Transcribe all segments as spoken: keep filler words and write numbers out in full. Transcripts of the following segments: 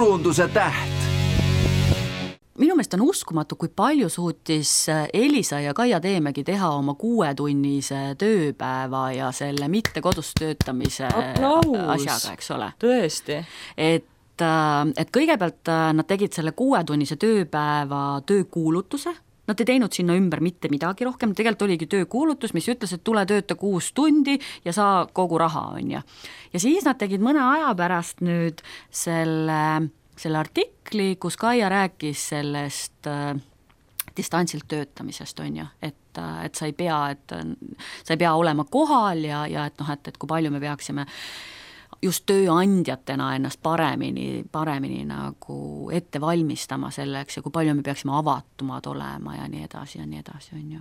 turunduse täht. Minu meelest on uskumatu, kui palju suutis Elisa ja Kaia Teemegi teha oma kuuetunnise tööpäeva ja selle mitte kodus töötamise Aplaus. asjaga, eks ole. Tõesti. Et, et kõigepealt nad tegid selle kuuetunnise tööpäeva töökuulutuse. Nad ei teinud sinna ümber mitte midagi rohkem, tegelikult oligi töökuulutus, mis ütles, et tule tööta kuus tundi ja saa kogu raha, on ja. Ja siis nad tegid mõne aja pärast nüüd selle, selle artikli, kus Kaia rääkis sellest äh, distantsilt töötamisest, on ja, et, et sa ei pea, et sa ei pea olema kohal ja, ja et, noh, et, et kui palju me peaksime just tööandjatena ennast paremini, paremini nagu ette valmistama selleks ja kui palju me peaksime avatumad olema ja nii edasi ja nii edasi, on ju.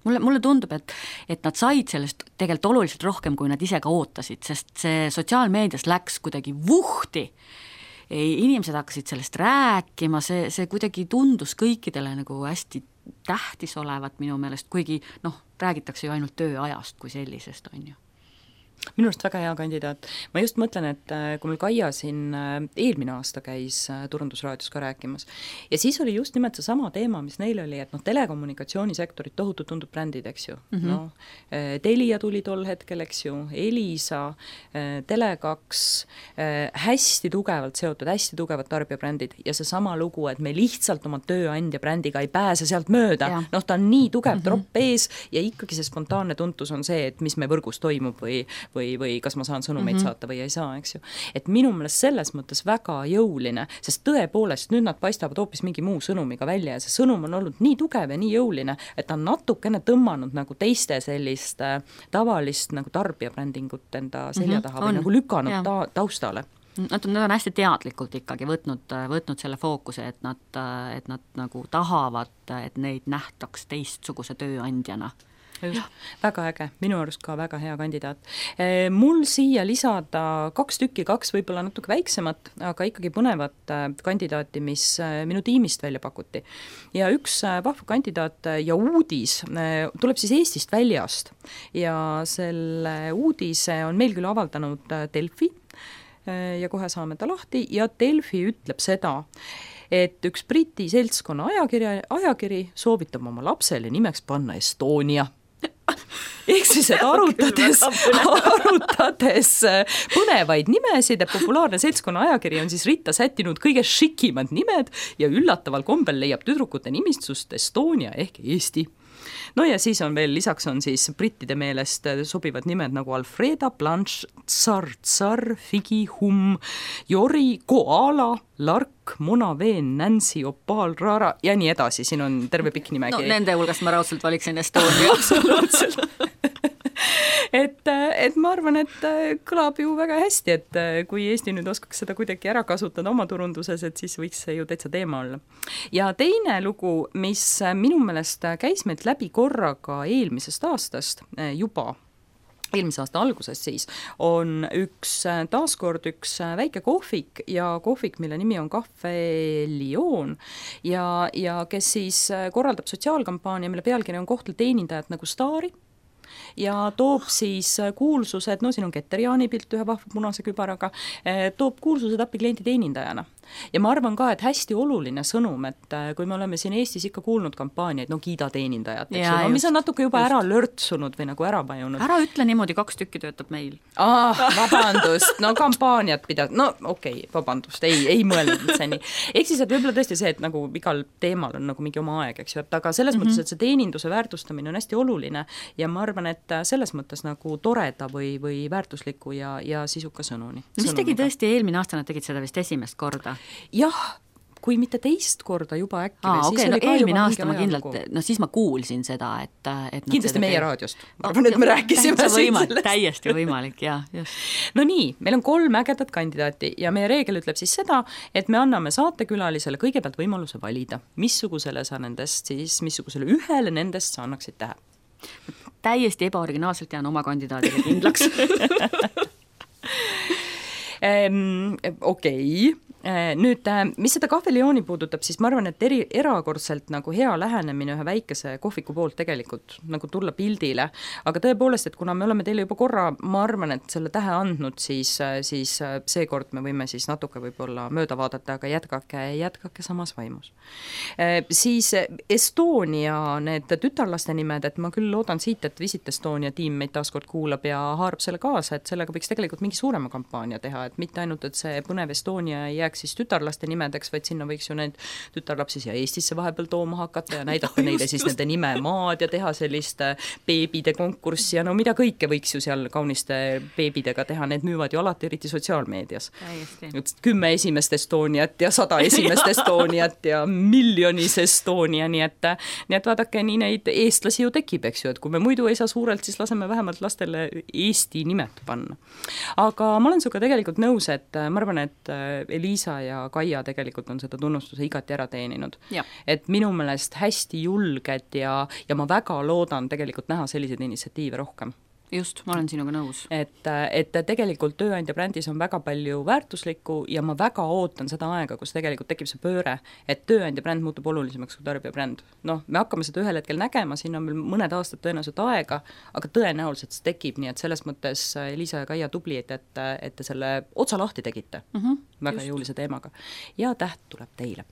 Mulle, mulle tundub, et, et nad said sellest tegelikult oluliselt rohkem, kui nad ise ka ootasid, sest see sotsiaalmeedias läks kuidagi vuhti. Ei, inimesed hakkasid sellest rääkima, see, see kuidagi tundus kõikidele nagu hästi tähtis olevat minu meelest, kuigi noh, räägitakse ju ainult tööajast kui sellisest, on ju. Minu arust väga hea kandidaat. Ma just mõtlen, et kui meil Kaia siin eelmine aasta käis turundusraadios ka rääkimas ja siis oli just nimelt see sama teema, mis neil oli, et noh, telekommunikatsioonisektorid tohutult tundub brändid, eks ju. Mm-hmm. No, Telia tuli tol hetkel, eks ju, Elisa, Tele kaks, hästi tugevalt seotud, hästi tugevad tarbijabrändid ja see sama lugu, et me lihtsalt oma tööandja brändiga ei pääse sealt mööda. Ja. Noh, ta on nii tugev mm-hmm. tropp ees ja ikkagi see spontaanne tuntus on see, et mis me võrgus toimub või või, või kas ma saan sõnumeid mm-hmm. saata või ei saa, eks ju. Et minu meelest selles mõttes väga jõuline, sest tõepoolest nüüd nad paistavad hoopis mingi muu sõnumiga välja ja see sõnum on olnud nii tugev ja nii jõuline, et ta on natukene tõmmanud nagu teiste sellist tavalist nagu tarbijabrändingut enda selja taha mm-hmm. või nagu lükanud ta, taustale. Nad on, nad on hästi teadlikult ikkagi võtnud, võtnud selle fookuse, et nad, et nad nagu tahavad, et neid nähtaks teistsuguse tööandjana. Just, väga äge, minu arust ka väga hea kandidaat. Mul siia lisada kaks tükki, kaks võib-olla natuke väiksemat, aga ikkagi põnevat kandidaati, mis minu tiimist välja pakuti. Ja üks vahva kandidaat ja uudis tuleb siis Eestist väljast ja selle uudise on meil küll avaldanud Delfi ja kohe saame ta lahti ja Delfi ütleb seda, et üks Briti seltskonna ajakiri, ajakiri soovitab oma lapsele nimeks panna Estonia. Ehk siis, et arutades, arutades põnevaid nimesid ja populaarne seltskonna ajakiri on siis ritta sättinud kõige šikimad nimed ja üllataval kombel leiab tüdrukute nimistust Estonia ehk Eesti. No ja siis on veel, lisaks on siis brittide meelest sobivad nimed nagu Alfreda, Blanche, Tsar, Tsar, Figi, Hum, Jori, Koala, Lark, Mona Veen, Nancy, Opal, Rara ja nii edasi, siin on terve pikk nimegi. No nende hulgast ma raudselt valiksin Estonia. Absoluutselt. et, et ma arvan, et kõlab ju väga hästi, et kui Eesti nüüd oskaks seda kuidagi ära kasutada oma turunduses, et siis võiks see ju täitsa teema olla. Ja teine lugu, mis minu meelest käis meilt läbi korraga eelmisest aastast juba, eelmise aasta alguses siis, on üks, taaskord üks väike kohvik ja kohvik, mille nimi on Cafe Lion ja, ja kes siis korraldab sotsiaalkampaania, mille pealkiri on Kohtla teenindajad nagu staari ja toob siis kuulsused, no siin on Keter-Jaani pilt ühe vahva punase kübaraga, toob kuulsused appi kliendi teenindajana. Ja ma arvan ka, et hästi oluline sõnum, et kui me oleme siin Eestis ikka kuulnud kampaaniaid, no kiida teenindajat, eks ju, no, mis on natuke juba just. Ära lörtsunud või nagu ära vajunud. Ära ütle niimoodi, kaks tükki töötab meil. Ah, vabandust, no kampaaniat pidad, no okei, okay, vabandust, ei, ei mõelnud see nii. Ehk siis, et võib-olla tõesti see, et nagu igal teemal on nagu mingi oma aeg, eks ju, aga selles mm-hmm. mõttes, et see teeninduse väärtustamine on hästi oluline ja ma arvan, et selles mõttes nagu toreda või, või väärtusliku ja, ja sisuka sõnuni. No, mis tegi tõesti eelmine aasta, nad tegid seda vist esimest korda? Jah, kui mitte teist korda juba äkki. Aa, okei, okay, no eelmine aasta ma kindlalt, no siis ma kuulsin seda, et, et kindlasti meie teeb. Raadiost. Ma arvan, et me rääkisime võimalik, täiesti võimalik, jah. Just. No nii, meil on kolm ägedat kandidaati ja meie reegel ütleb siis seda, et me anname saatekülalisele kõigepealt võimaluse valida, missugusele sa nendest siis, missugusele ühele nendest sa annaksid tähe. Täiesti ebaoriginaalselt jään oma kandidaadile kindlaks. um, okei, okay. Nüüd, mis seda kahvilijooni puudutab, siis ma arvan, et eri, erakordselt nagu hea lähenemine ühe väikese kohviku poolt tegelikult nagu tulla pildile, aga tõepoolest, et kuna me oleme teile juba korra, ma arvan, et selle tähe andnud, siis, siis seekord me võime siis natuke võib-olla mööda vaadata, aga jätkake, jätkake samas vaimus. Siis Estonia, need tütarlaste nimed, et ma küll loodan siit, et Visit Estonia tiim meid taaskord kuulab ja haarab selle kaasa, et sellega võiks tegelikult mingi suurema kampaania teha, et mitte ainult, et see põnev Estonia ei jääks siis tütarlaste nimedeks, vaid sinna võiks ju need tütarlapsi siia Eestisse vahepeal tooma hakata ja näidata no, neile just, siis just. Nende nimemaad ja teha sellist beebide konkurssi ja no mida kõike võiks ju seal kauniste beebidega teha, need müüvad ju alati eriti sotsiaalmeedias. Kümme esimest Estoniat ja sada esimest Estoniat ja miljonis Estonia, nii et, nii et vaadake, nii neid eestlasi ju tekib, eks ju, et kui me muidu ei saa suurelt, siis laseme vähemalt lastele Eesti nimed panna. Aga ma olen sinuga tegelikult nõus, et ma arvan, et Eliisa ja Kaia tegelikult on seda tunnustuse igati ära teeninud. Ja. Et minu meelest hästi julged ja, ja ma väga loodan tegelikult näha selliseid initsiatiive rohkem. Just, ma olen sinuga nõus. Et, et tegelikult tööandja brändis on väga palju väärtuslikku ja ma väga ootan seda aega, kus tegelikult tekib see pööre, et tööandja bränd muutub olulisemaks kui tarbija bränd. Noh, me hakkame seda ühel hetkel nägema, siin on veel mõned aastad tõenäoliselt aega, aga tõenäoliselt see tekib, nii et selles mõttes Liisa ja Kaia tubli, et, et, et te selle otsa lahti tegite. Mm-hmm, väga just. Jõulise teemaga. Ja täht tuleb teile.